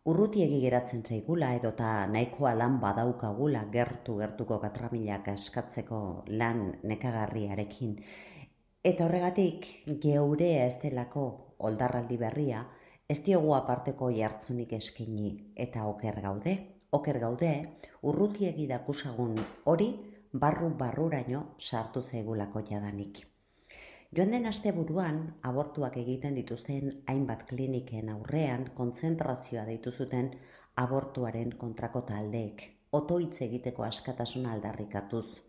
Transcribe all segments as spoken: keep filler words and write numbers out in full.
Urrutiegi geratzen zaigula edota nahikoa lan badaukagula gertu-gertuko katramilak askatzeko lan nekagarriarekin. Eta horregatik, geurea ez delako oldarraldi berria, ez diogu aparteko jartzunik eskaini eta oker gaude. Oker gaude, urrutiegi dakusagun hori barru-barruraino sartu zaigulako jadanik. Joan den asteburuan, abortuak egiten dituzten hainbat kliniken aurrean kontzentrazioa deitu zuten abortuaren kontrako taldeek, otoitz egiteko askatasuna aldarrikatuz.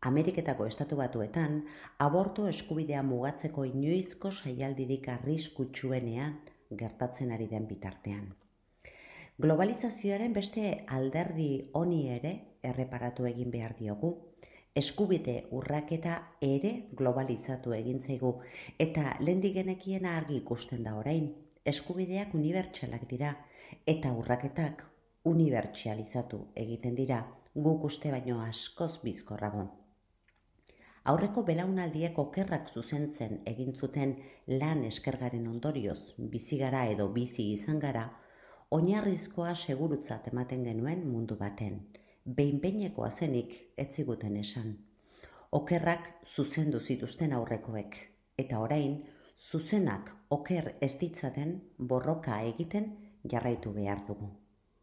Ameriketako estatu batuetan, abortu eskubidea mugatzeko inoizko saialdirik arriskutsuenean gertatzen ari den bitartean. Globalizazioaren beste alderdi honi ere erreparatu egin behar diogu. Eskubide urraketa ere globalizatu egin zaigu eta lehendik genekiena argi ikusten da orain. Eskubideak unibertsalak dira eta urraketak unibertsalizatu egiten dira, guk uste baino askoz bizkorrago. Aurreko belaunaldiek okerrak zuzentzen egin zuten lan eskergaren ondorioz bizi gara edo bizi izan gara, oinarrizkoa segurutzat ematen genuen mundu baten. Behin-behinekoa zenik ez ziguten esan. Okerrak zuzendu zituzten aurrekoek, eta orain zuzenak oker ez ditzaten borroka egiten jarraitu behar dugu.